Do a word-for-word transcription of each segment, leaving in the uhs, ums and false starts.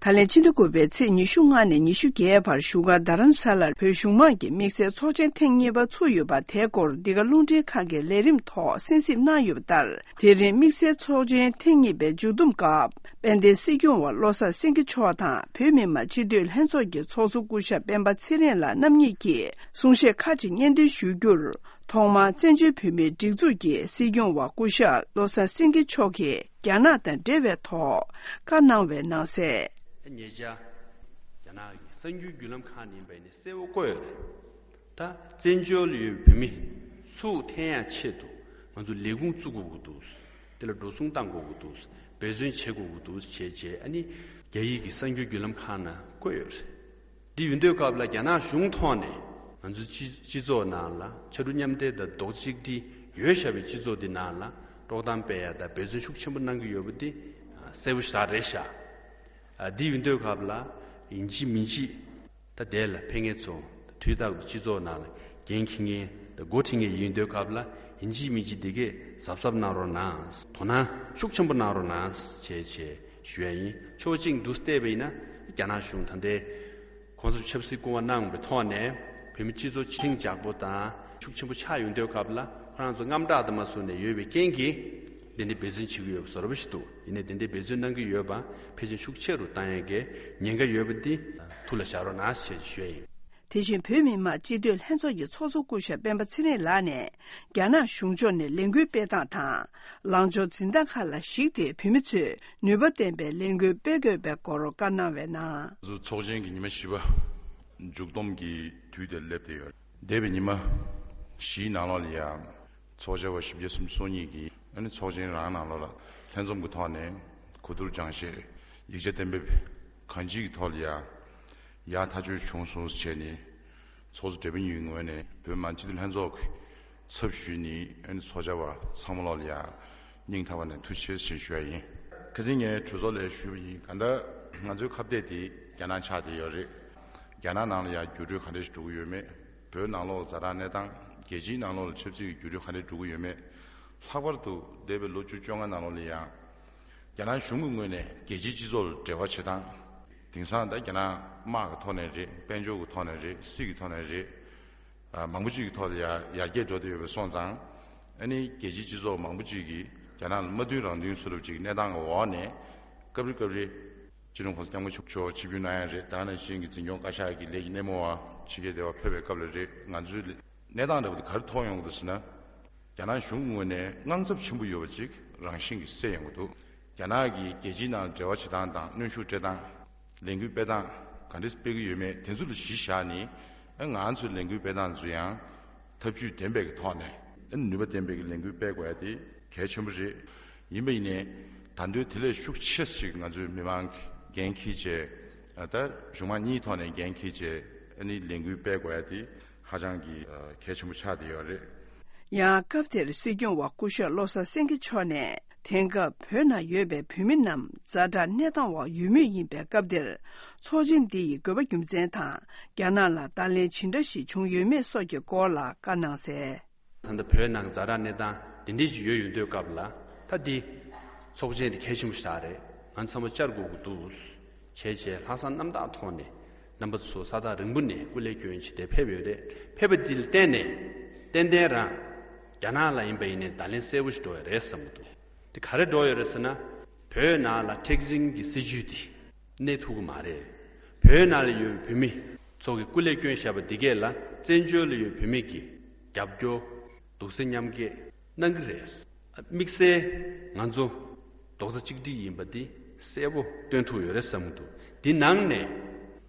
ད་ལན་ཕྱི་ཟླ་དགུ་པའི་ཚེས་ཉི་ཤུ་ལྔ་ནས་ཉི་ཤུ་བརྒྱད་བར་བཞུགས་སྒར་རྡ་རམ་ས་ལར་བོད་གཞུང་མང་གི་དམིགས་བསལ་ཚོགས་ཆེན་ཐེངས་གཉིས་པ་ཚུགས་ཡོད་པ། དེའི་སྐོར་འདི་ག་རླུང་འཕྲིན་ཁང་གི་ལས་རིམ་ཐོག་གསན་གཟིགས་གནང་ཡོད་པ་ལྟར། དེ་རིང་དམིགས་བསལ་ཚོགས་ཆེན་ཐེངས་གཉིས་པའི་མཇུག་བསྡོམས་སྐབས། དཔལ་ལྡན་སྲིད་སྐྱོང་བ་བློ་བཟང་སེང་གེ་མཆོག་དང་བོད་མི་མང་སྤྱི་འཐུས་ལྷན་ཚོགས་ཀྱི་ཚོགས་གཙོ་སྐུ་ཞབས་སྤེན་པ་ཚེ་རིང་ལགས་རྣམ་གཉིས་ཀྱིས་གསུང་བཤད་ཁག་ཅིག་སྙན་སྒྲོན་ཞུ་རྒྱུར། ཐོག་མར་བཙན་བྱོལ་བོད་མིའི་སྒྲིག་འཛུགས་ཀྱི་སྲིད་སྐྱོང་བ་སྐུ་ཞབས་བློ་བཟང་སེང་གེ་མཆོག་གིས་རྒྱ་ནག་དང་འབྲེལ་བའི་ཐོག་བཀའ་གནང་བའི་ནང་གསལ། ཉེ་ཆར་རྒྱ་ནག་གི་གསར་འགྱུར་བརྒྱུད་ལམ་ཁག་ནས་ཡིན་པ་ཡིན་ན་གསལ་བོ་བཀོད་ཡོད་རེད། ད་བཙན་བྱོལ་ཡོད་བོད་མི་ཚུར་འཐེན་ཡ་ཆེད་དུ་ང་ཚོ་ལས་ཁུངས་བཙུགས་དགོས་ཀྱི་འདུག་དེ་ལ་འགྲོ་སོང་བཏང་དགོས་ཀྱི་འདུག་འབད་བརྩོན་བྱེད་དགོས་ཀྱི་འདུག་བྱས་བྱས། ཨ་ནི་རྒྱ་ཡིག་གི་གསར་འགྱུར་བརྒྱུད་ལམ་ཁག་ནང་བཀོད་ཡོད་རེད། འདི་ཡོད་དུས་སྐབས་ལ་རྒྱ་ནག་གཞུང་ཐོག་ནས་ང་ཚོའི་སྤྱི་སྤྱི་ཚོགས་ནང་ལ་ཕྱར་གྲུ་མཉམ་འདེགས་དང་རྡོག་རྩ་གཅིག་སྒྲིལ་ཡོད་བཞག་པའི་སྤྱི་ཚོགས་འདི་ནང་ལ་དཀྲོག་གཏམ་སྤེལ་ཡ་དང་འབད་བརྩོན་ཤུགས་ཆེན་པོ་གནང་གི་ཡོད་པ་འདི་གསལ་པོ་ཞེ་དྲག་རེད་ཤག་ཨ། འདི་ཡོད་དུས་སྐབས་ལ་ཡིན་གཅིག་མིན་གཅིག་ད་དེ་ལ་ཕེབས་མཁན་ཚོ་དུས་རྟག་ཏུ་སྤྱི་ཚོགས་ནང་ལ་འགན་འཁྱེར་མཁན་དང་འགོ་ཁྲིད་མཁན་ཡིན་དུས་སྐབས་ལ་ཡིན་གཅིག་མིན་གཅིག་འདི་གས་གཟབ་གཟབ་གནང་རོགས་གནང་། དོ་སྣང་ཤུགས་ཆེན་པོ་གནང་རོགས་གནང་བྱས་བྱས་ཞུ་ཡ་ཡིན། ཕྱོགས་གཅིག་ཏུ་བལྟས་པ་ཡིན་ན་རྒྱ་ནག་གཞུང་ད་ལྟའི་གོང་ས་ཆབ་སྲིད་སྐུ་དབང་གནང་བའི་ཐོག་ནས་བོད་མི་སྤྱི་ཚོགས་ཆིངས་འཇགས་པོ་དང་ཤུགས་ཆེན་པོ་ཆགས་ཡོང་དུས་སྐབས་ལ་ཁོ་རང་ཚོ་དངངས་སྐྲག་དང་མ་བཟུང་ནས་ཡོད་པའི་རྐྱེན་གྱིས་འདི་འདྲའི་འབད་བརྩོན་བྱེད་ཀྱི་ཡོད་པ་བཟོ་འདྲ་པོ་ཞིག་འདུག་ཡིན་ནའི་འདི་འདྲའི་འབད་བརྩོན་གནང་གི་ཡོད་པ་ཕལ་ཆེར་ཤུགས་ཆེ་རུ་བཏང་ཡས་ཀྱི་ཉེན་ཁ་ཡོད་པ་འདི་ཐུགས་ལ་བཞག་རོགས་གནང་ཞེས་ཞུ་ཡ་ཡིན། དེ་བཞིན་བོད་མི་མང་སྤྱི་འཐུས་ལྷན་ཚོགས་ཀྱི་ཚོགས་གཙོ་སྐུ་ཞབས་སྤེན་པ་ཚེ་རིང་ལགས་ནས། རྒྱ་ནག་གཞུང་ཕྱོགས་ནས་ལས་འགུལ་སྤེལ་སྟངས་དང་། ལངས་ཕྱོགས་འཛིན་སྟངས་ཁག་ལ་གཞིགས་ཏེ་བོད་མི་ཚོས་ནུས་པ་ལྡན་པའི་ལས་འགུལ་སྤེལ་དགོས་པའི་སྐོར་བཀའ་གནང་བའི་ནང་། ང་ཚོ་ཚོགས་ཆེན་གྱི་ཉི་མ་བཞི་པ་མཇུག་བསྡོམས་ཀྱི་དུས་དེར་སླེབས་བསྡད་ཡོད། འདས་པའི་ཉི་མ་བཞིའི་ནང་ལོགས་ལ་ཡང་ཚོགས་བཅར་བ་བཞི་བརྒྱ་སུམ་ཅུ་སོ་གཉིས་ཀྱིས་ཨ་ནི་ཚོགས་ཆེན་རང་ནང་ལོགས་ལ་ལྷན་འཛོམས་ཀྱི་ཐོག་ནས་གོ་བསྡུར་སྦྱང་བཤད་ཡིག་ཆ་གཏན་འབེབས་གང་ཅིའི་ཐོག་ལ་ཡང་ཡག་ཐག་ཆོད་བྱུང་སོང་ཟེར་བྱས་ནས། ཚོགས་གཙོ་སྦྲེལ་པོ་གཉིས་ཀྱི་ངོས་ནས་བོད་མི་མང་སྤྱི་འཐུས་ལྷན་ཚོགས་ཀྱི་ཚབ་ཞུས་ནས་ཨ་ནི་ཚོགས་བཅར་བ་ཚང་མ་ལོག་ལ་ཡང་སྙིང་ཐག་པ་ནས་ཐུགས་རྗེ་ཆེ་ཞེས་ཞུ་བ་ཡིན། ཁ་སང་ངས་གྲོས་ཚོགས་ལ་ཞུས་པ་ཡིན། གང་ལྟར་ང་ཚོའི་ཁ་གཏད་དེ་རྒྱ་ནག་ཆགས་བསྡད་ཡོད་རེད། རྒྱ་ནག་ནང་ལ་ཡང་འགྱུར་འགྲོས་ག་འདྲ་ཞིག་འགྲོ་གི་ཡོད་མེད། བོད་ནང་ལོགས་ཛ་དྲག་གནས་སྟངས། རྒྱལ་སྤྱིའི་ནང་ལོགས་ལ་ཆབ་སྲིད་ཀྱི་འགྱུར་འགྲོས་ག་འདྲ་འགྲོ་གི་ཡོད་མེད། ལྷག་པར་དུ་འདས་པའི་ལོ་བཅུ་བཅོ་ལྔ་ནང་ལོགས་ལ་ཡང་། རྒྱ་ནག་གཞུང་གི་ངོས་ནས་རྒྱལ་སྤྱིའི་སྤྱི་ཚོགས་ལ་འབྲེལ་བ་བྱེད་སྟངས། དེང་སང་ད་རྒྱ་ནག་དམག་གི་ཐོག་ནས་རེད། དཔལ་འབྱོར་གྱི་ཐོག་ནས་རེད། སྲིད་ཀྱི་ཐོག་ནས་རེད། ཨ། མང་པོ་ཅིག་གི་ཐོག་ལ་ཡར་ཡར་རྒྱས་འགྲོ་བསྡད་ཡོད་པ་སོང་ཙང་། ཨ་ནི་རྒྱལ་སྤྱིའི་སྤྱི་ཚོགས་མང་པོ་ཅིག་གིས་རྒྱ་ནག་ལ་མ་མཐུན་རང་མཐུན་བཟོ་འདྲ་ཅིག་གནས་སྟངས་ཀྱི་འོག་ནས། སྐབས་རེ་སྐབས་རེ་སྤྱི་ནོར་༸གོང་ས་༸སྐྱབས་མགོན་ཆེན་པོ་མཆོག་ཆིབས་བསྒྱུར་གནང་ཡ་རེད། ད་ག་ནང་བཞིན་གྱི་འཛིན་སྐྱོང་བཀའ་ཤག་གི་ལས་ཀྱི་སྣེ་མོ་བ་ཕྱི་རྒྱལ་དེ་བ་ཕེབས་པའི་སྐབས་ལ་རེད། ང་ཚོའི་གནས་སྟངས་འདྲ་པོ་དེ་ག་རེ་མཐོང་ཡོང་གི་འདུག་ཟེར་ན། རྒྱ་ནག་གཞུང་གི་ངོས་ནས་དངངས་འཚབ་ཆེན་པོ་ཡོད་པ་ཅིག་རང་བཞིན་གྱིས་སེལ་ཡོང་གི་འདུག་རྒྱ་ནག་གིས་རྒྱལ་སྤྱིའི་ནང་འབྲེལ་བ་བྱེད་སྟངས་དང་གནོན་ཤུགས་སྤྲད་སྟངས། ལས་འགུལ་སྤེལ་སྟངས་ག་འདྲས་སྤེལ་གྱི་ཡོད་མེད་དེ་ཚོ་ལ་གཞི་བཞག་ནས། ཨ། ང་ཚོའི་ལས་འགུལ་སྤེལ་སྟངས་ཚོ་ཡང་ཐབས་ཇུས་ལྡན་པའི་གི་ཐོག་ནས། ཨ། ནུས་པ་ལྡན་པའི་གི་ལས་འགུལ་སྤེལ་དགོས་ཡ་དེ་གལ་ཆེན་པོ་རེད། ཡིན་པ་ཡིན་ནའི་ད་དུང་དེ་ལས་ཤུགས་ཆེ་ཞིག་ང་ཚོའི་མི་མང་གི་འགན་འཁྱེར་བྱས། ཨ། ད་གཞུང་མང་གཉིས་ཐོག་ནས་འགན་འཁྱེར་བྱས། ཨ་ནི་ལས་འགུལ་སྤེལ་དགོས་ཡ་དེ་ཧ་ཅང་གི་ཨ་གལ་ཆེན་པོ་ཆགས་བསྡད་ཡོད་རེད། ཡང་སྐབས་དེར་སྲིད་སྐྱོང་བ་སྐུ་ཞབས་བློ་བཟང་སེང་གེ་མཆོག་ནས། དེང་སྐབས་བོད་ནང་ཡོད་པའི་བོད་མི་རྣམས་ཛ་དྲག་གནས་སྟངས་འོག་ཡོད་མུས་ཡིན་པའི་སྐབས་འདིར། ཚོགས་ཆེན་འདི་ཡི་དགོས་པ་རྒྱུ་མཚན་དང་། རྒྱ་ནག་ལ་བརྡ་ལན་ཇི་འདྲ་ཞིག་བྱུང་ཡོད་མེད་སོགས་ཀྱི་སྐོར་ལ་བཀའ་གནང་གསལ། ད་ལྟ་བོད་ནང་ཛ་དྲག་གནས་སྟངས་འདི་འདྲ་ཞིག་ཡོད་ཡོང་དུས་སྐབས་ལ། ད་འདི་ཚོགས་ཆེན་འདི་གལ་ཆེན་པོ་ཞིག་རེད། ང་ཚང་མ་བཅར་དགོས་ཀྱི་འདུག་བྱས་བྱས་ལྷག་བསམ་རྣམ་དག་ཐོག་ནས་རྣམ་པ་ཚོ་ས་ཐག་རིང་པོ་ནས་སྐུ་ལས་བསྐྱོན་བྱས་ཏེ་ཕེབས་ཡོད་རེད། ཕེབས་པ་འདི་ལ་བརྟེན་ནས་ཏན་ཏན་རང་རྒྱ་ནག་ལ་ཡིན་པ་ཡིན་ནའི་བརྡ་ལན་གསལ་པོ་ཞིག་འགྲོ་ཡ་རེད་བསམ་གྱི་འདུག་དེ་ག་རེ་འགྲོ་ཡོད་རེད་ཟེར་ན། བོད་ནང་ལ་མཁྲེགས་འཛིན་གྱི་སྲིད་བྱུས་དེ་གནས་ཐུབ་ཀྱི་མ་རེད། བོད་ནང་ལ་ཡོད་བོད་མི་ཚོ་གིས་སྐུ་ལས་བསྐྱོན་བཞག་པ་འདི་གས་ལ་བཙན་བྱོལ་ལ་ཡོད་བོད་མི་གིས་རྒྱབ་སྐྱོར་རྡོག་རྩ་མཉམ་འཁྱེར་གནང་གི་རེད། དམིགས་བསལ་ང་ཚོ་རྡོག་རྩ་གཅིག་སྒྲིལ་ཡིན་པ་འདི་གསལ་པོ་སྟོན་ཐུབ་ཡོད་རེད་བསམ་གྱི་འདུག་འདི་ནང་ནས་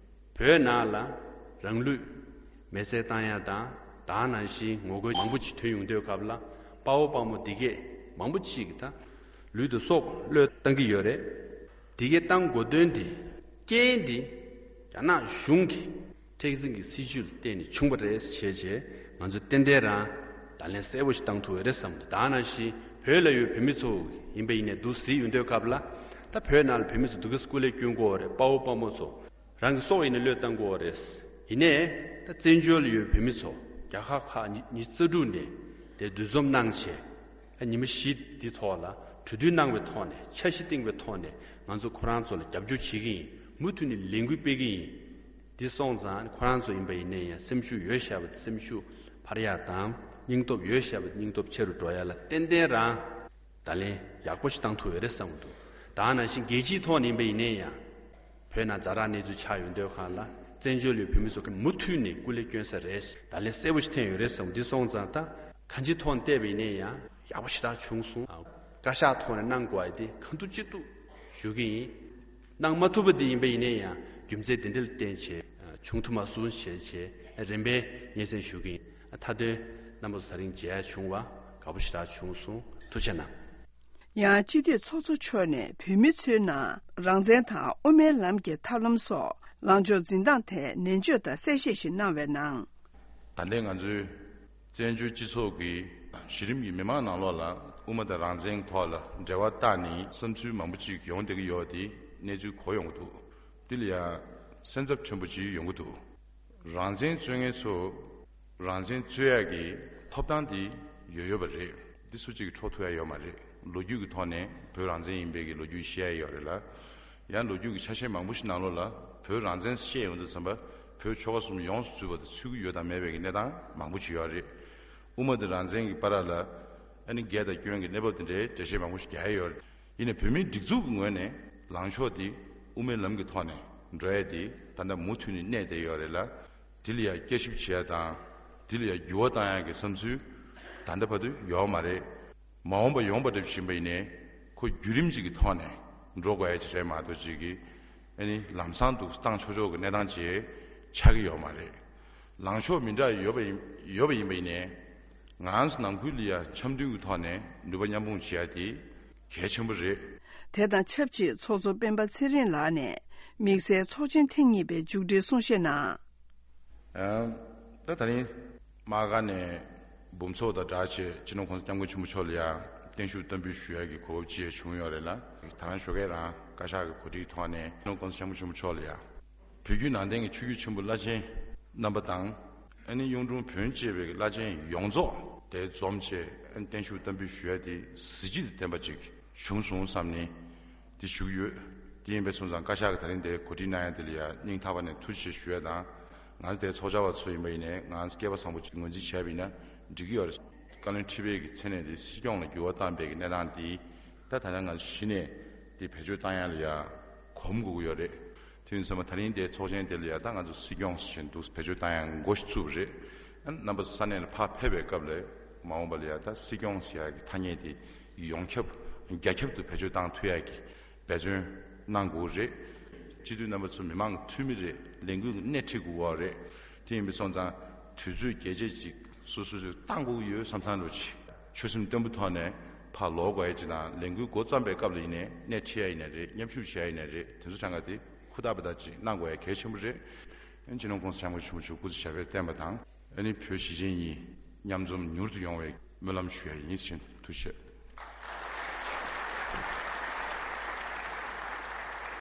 བོད་ནང་ལ་རང་ལུས་མེར་སྲེག་བཏང་ཡ་དང་། ད་ག་ནང་བཞིན་ངོ་རྒོལ་མང་པོ་ཅིག་ཐོན་ཡོང་དུས་སྐབས་ལ། དཔའ་བོ་དཔའ་མོ་འདི་གས་མང་པོ་ཅིག་གིས་ད་ལུས་དང་སྲོག་བློས་བཏང་གི་ཡོད་རེད། འདི་གས་བཏང་དགོས་དོན་འདི་རྐྱེན་འདི་རྒྱ་ནག་གཞུང་གི་མཁྲེགས་འཛིན་གྱི་སྲིད་བྱུས་ལ་བརྟེན་ནས་བྱུང་བ་རེད་ཅེས་བྱས། ང་ཚོས་ཏན་ཏན་རང་བརྡ་ལན་གསལ་པོ་ཞིག་བཏང་ཐུབ་ཡོད་རེད་བསམ་གྱི་འདུག་ད་ག་ནང་བཞིན་བོད་ལ་ཡོད་བོད་མི་ཚོ་ཡིན་པ་ཡིན་ནའི་འདུག་སེ་གཟིགས་ཡོང་དུས་སྐབས་ལ། ད་བོད་ནང་ལ་བོད་མི་ཚོ་འདུག་ག་སྐུ་ལས་བསྐྱོན་དགོས་པ་རེད། དཔའ་བོ་དཔའ་མོ་ཚོ་རང་གི་སྲོག་ཡིན་ནའི་བློས་བཏང་དགོས་པ་རེད། ཡིན་ནའི་ད་བཙན་བྱོལ་ལ་ཡོད་བོད་མི་ཚོ་རྒྱལ་ཁབ་ཁག་ཉི་ཉི་ཤུ་རྩ་དྲུག་ནས་དེ་འདུ་འཛོམས་གནང་བྱས། ཨ། ཉི་མ་བཞི་འདི་ཐོག་ལ་གྲོས་བསྡུར་གནང་བའི་ཐོག་ནས། འཆར་གཞི་བཏིང་བའི་ཐོག་ནས་ང་ཚོ་ཁོ་རང་ཚོ་ལ་རྒྱབ་སྐྱོར་བྱེད་ཀྱི་ཡིན། མུ་མཐུད་ནས་ལས་འགུལ་སྤེལ་གི་ཡིན། འདི་སོང་ཙང་ཁོ་རང་ཚོ་ཡིན་པ་ཡིན་ནའི་ཡང་སེམས་ཤུགས་ཡོད་བཞག་པ་སེམས་ཤུགས་འཕར་ཡག་དང་སྙིང་སྟོབས་ཡོད་བཞག་པ་སྙིང་སྟོབས་ཆེ་རུ་འགྲོ་ཡག་ལ་ཏན་ཏན་རང་ད་ལན་ཡག་པོ་ཞིག་བཏང་ཐུབ་ཡོད་རེད་བསམ་གྱི་འདུག་ད་ནང་བཞིན་རྒྱལ་སྤྱིའི་ཐོག་ནས་ཡིན་པ་ཡིན་ནའི་ཡང་བོད་ནང་ཛ་དྲག་གནས་ཚུལ་ཆགས་ཡོང་དུས་སྒང་ལ་བཙན་བྱོལ་ལ་བོད་མི་ཚོ་གི་མུ་མཐུད་ནས་སྐུ་ལས་བསྐྱོན་ས་རེད། ད་ལན་གསལ་པོ་ཞིག་ཐོན་ཡོད་རེད་བསམ་གྱི་འདུག་འདི་སོང་ཙང་ད་གང་ཅིའི་ཐོག་ནས་བལྟས་པ་ཡིན་ནའི་ཡང་ཡག་པོ་ཞེ་དྲག་བྱུང་སོང་། བཀའ་ཤག་ཐོག་ནས་གནང་དགོས་པ་དེ་གང་ཐུབ་ཅི་ཐུབ་ཞུ་གི་ཡིན། གནང་མ་ཐུབ་པ་དེ་ཡིན་པ་ཡིན་ནའི་ཡང་རྒྱུ་མཚན་དེ་འདྲ་ལ་བརྟེན་བྱས་བྱུང་ཐུབ་མ་སོང་ཞེས་བྱས་རིམ་པས་སྙན་སེང་ཞུ་གི་ཡིན། མཐའ་དོན་རྣམ་པ་ཚོ་ད་རིང་མཇལ་ཡག་བྱུང་བ་དགའ་པོ་ཞེ་དྲག་བྱུང་སོང་། ཐུགས་རྗེ་གནང་། ཡང་སྤྱི་འཐུས་ཚོགས་གཙོ་མཆོག་ནས་བོད་མི་ཚོའི་ནང་རང་བཙན་དང་དབུ་མའི་ལམ་གྱི་ཐབས་ལམ་སོགས་ལངས་ཕྱོགས་འཛིན་སྟངས་ཐད་ནན་བརྗོད་དང་གསལ་བཤད་ཞིག་གནང་བའི་ནང་། ད་ལྟའི་ང་ཚོའི་བཙན་བྱོལ་སྤྱི་ཚོགས་ཀྱི་གཞི་རིམ་གྱི་མི་མང་ནང་ལོགས་ལ་དབུ་མ་དང་རང་བཙན་ཐོག་ལ་འབྲེལ་བ་བཏགས་ནས་བསམ་ཚུལ་མང་པོ་ཅིག་ཡོང་བསྡད་ཀྱི་ཡོད་དེ་གནས་ཚུལ་གོ་ཡོང་གི་འདུག་འདི་ལ་ཡང་སེམས་འཚབ་ཕྲན་བུ་ཅིག་ཡོང་གི་འདུག་རང་བཙན་རྩོད་མཁན་ཚོ་རང་བཙན་རྩོད་ཡག་གི་ཐོབ་ཐང་དེ་ཡོད་ཡོད་པ་རེད། འདི་སུ་གཅིག་གིས་འཕྲོག་ཐུབ་ཡག་ཡོད་མ་རེད། ལོ་རྒྱུས་ཀྱི་ཐོག་ནས་བོད་རང་བཙན་ཡིན་པའི་གི་ལོ་རྒྱུས་བཤད་ཡག་ཡོད་རེད་ལ། ཡང་ལོ་རྒྱུས་ཀྱི་ཆ་ཤས་མང་པོ་ཞིག་ནང་ལོགས་ལ་བོད་རང་བཙན་བཤད་ཡོང་དུས་ཙམ་པ་བོད་ཆོལ་ཁ་གསུམ་ཡོངས་སུ་ཚུད་པ་དང་ཚུད་ཀྱི་ཡོད་དང་མེད་པའི་གི་གནས་སྟངས་མང་པོ་ཞིག་ཡོད་རེད། དབུ་མ་དང་རང་བཙན་གྱི་བར་ལ་ཨ་ནི་རྒྱལ་དང་སྐྱོན་གྱི་གནས་བབ་དེ་འདྲའི་འགྲེལ་བཤད་མང་པོ་ཞིག་རྒྱག་ཡག་ཡོད་རེད། ཡིན་ནའི་བོད་མིའི་སྒྲིག་འཛུགས་ཀྱི་ངོས་ནས་ལངས་ཕྱོགས་དེ་དབུ་མའི་ལམ་གྱི་ཐོག་ནས་འགྲོ་ཡག་དེ་ད་ལྟ་མུ་མཐུད་ནས་གནས་བསྡད་ཡོད་རེད་ལ། དེ་ལ་ཡང་བསྐྱར་ཞིབ་བྱེད་ཡག་དང་། དེ་ལ་ཡང་འགྱུར་བ་གཏོང་ཡག་གི་བསམ་ཚུལ་ད་ལྟ་བར་དུ་ཡོད་མ་རེད། མ་འོངས་པ་ཡོང་བ་འདྲ་བཞིན་པ་ཡིན་ནའི་ཁོ་བརྒྱུད་རིམ་ཅིག་གི་ཐོག་ནས་འགྲོ་དགོས་ཡག་ཅིག་རེད་མ་གཏོགས་ཅིག་གི་ཨ་ནི་ལམ་སང་དུ་བཏང་ཆོག་ཆོག་གི་གནས་སྟངས་ཅིག་ཆགས་ཀྱི་ཡོད་མ་རེད། ལངས་ཕྱོགས་མི་འདྲ་ཡོད་པ་ཡིན་ཡོད་པ་ཡིན་པ་ཡིན་ནའི་ང་ཚོ་ནང་ཁུལ་ལ་ཡང་འཆམ་མཐུན་གྱི་ཐོག་ནས་ནུས་པ་མཉམ་སྤུངས་བྱེད་ཡག་དེ་གལ་ཆེན་པོ་རེད། དེ་དང་ཆབས་ཅིག་ཚོགས་གཙོ་སྤེན་པ་ཚེ་རིང་ལགས་ནས་དམིགས་བསལ་ཚོགས་ཆེན་ཐེངས་གཉིས་པའི་མཇུག་སྒྲིལ་གསུང་བཤད་ནང་། ཨ། ད་ད་རིང་དམག་སྒར་ནས་འབུམ་ཚོགས་དང་སྦྲགས་བྱས་སྤྱི་ནོར་༸གོང་ས་༸སྐྱབས་མགོན་ཆེན་པོ་མཆོག་ལ་ཡང་བརྟན་བཞུགས་བསྟར་འབུལ་ཞུ་ཡག་གི་གོ་སྐབས་ཅིག་ཡང་བྱུང་ཡོད་རེད་ལ། ད་རང་ཞོགས་ཀས་རང་བཀའ་ཤག་གི་གོ་སྒྲིག་ཐོག་ནས་སྤྱི་ནོར་༸གོང་ས་༸སྐྱབས་མགོན་ཆེན་པོ་མཆོག་ལ་ཡང་བོད་བརྒྱུད་ནང་བསྟན་གྱི་ཆོས་བརྒྱུད་ཆེན་པོ་བླ་ཆེན་རྣམ་པ་དང་། ཨ་ནི་གཡུང་དྲུང་བོན་བཅས་པའི་བླ་ཆེན་ཡོངས་རྫོགས་དེ་འཛོམས་བྱས་ཨ་ནི་བརྟན་བཞུགས་བསྟར་འབུལ་ཞུ་ཡག་དེ་གཟི་བརྗིད་དང་ལྡན་པ་ཅིག་བྱུང་སོང་བསམ་ནས་དེ་ཞུ་གི་ཡོད། དེ་ཡིན་པས་སོང་ཙང་བཀའ་ཤག་གིས་ད་རིང་དེ་གོ་སྒྲིག་གནང་ཡག་དེ་ལ་ཡང་སྙིང་ཐག་པ་ནས་ཐུགས་རྗེ་ཆེ་ཞུ་ཡག་དང་། ང་ཚོ་དེ་ཚོགས་བཅར་བ་ཚོ་ཡིན་པ་ཡིན་ནའི་ང་ཚོ་སྐལ་པ་བཟང་པོ་ཅིག་ངོས་འཛིན་བྱས་པ་ཡིན་ན་འགྲིག་གི་ཡོད་རེད། བཀའ་བློན་ཁྲི་པའི་གི་མཚན་གནས་དེ་སྲིད་སྐྱོང་ལ་འགྱུར་བ་བཏང་པའི་གི་གནས་སྟངས་དེ་ད་ད་ལྟ་ང་ཚོ་གཞི་ནས་དེ་བེད་སྤྱོད་བཏང་ཡག་ལ་ཡང་གོམས་དགོས་ཀྱི་ཡོད་རེད། དེ་ཡིན་ཙང་མ་ད་རིང་དེ་ཚོགས་ཆེན་དེ་ལ་ཡང་ད་ང་ཚོ་སྲིད་སྐྱོང་ཟེར་བཞིན་འདུག་བེད་སྤྱོད་བཏང་ཡག་འགོ་ཞིག་བཙུགས་པ་རེད། ཨ་རྣམ་པ་ཚོ་ས་གནས་ལ་ཕར་ཕེབས་པའི་སྐབས་ལ་མ་འོངས་པ་ལ་ཡང་ད་སྲིད་སྐྱོང་ཟེར་ཡག་གི་ཐ་སྙད་དེ་ཡོངས་ཁྱབ་རྒྱ་ཁྱབ་ཏུ་བེད་སྤྱོད་བཏང་ཐུབ་ཡག་གི་འབད་བརྩོན་གནང་དགོས་རེད། སྤྱི་འཐུས་རྣམ་པ་ཚོ་མི་མང་གི་འཐུས་མི་རེད། ལས་འགུལ་གྱི་སྣེ་ཁྲིད་དགོས་པ་རེད། དེ་ཡིན་པས་སོང་ཙང་དུས་ཚོད་རྒྱས་བཅད་ཅིག་སོ་སོ་སོས་བཏང་དགོས་ཀྱི་ཡོད་བསམ་བསམ་འདྲ་ཅིག་ཆོད་སེམས་བརྟན་པོའི་ཐོག་ནས་ཕར་ལོག་དགོས་ཡག་ཅིག་དང་ལས་འགུལ་འགོ་བརྩམས་པའི་སྐབས་ལ་ཡིན་ནའི་སྣེ་ཁྲིད་ཡག་ཡིན་ནའི་རེད། མཉམ་ཞུགས་བྱེད་ཡག་ཡིན་ནའི་རེད། དེ་ཚོ་གྲངས་ཀ་དེ་ཧུར་ཐག་པ་དག་ཅིག་གནང་དགོས་ཡག་གལ་ཆེན་པོ་རེད། སྤྱི་ནོར་༸གོང་ས་༸སྐྱབས་མགོན་ཆེན་པོ་མཆོག་སྐུ་ཚེ་ཞབས་པད་བརྟན་པ་དང་། ཨ་ནི་བོད་གཞིས་བྱེས་གཉིས་མཉམ་འཛོམས་མྱུར་དུ་ཡོང་བའི་སྨོན་ལམ་ཞུ་ཡག་ཡིན་ཟེར་ཐུགས་རྗེ་ཆེ།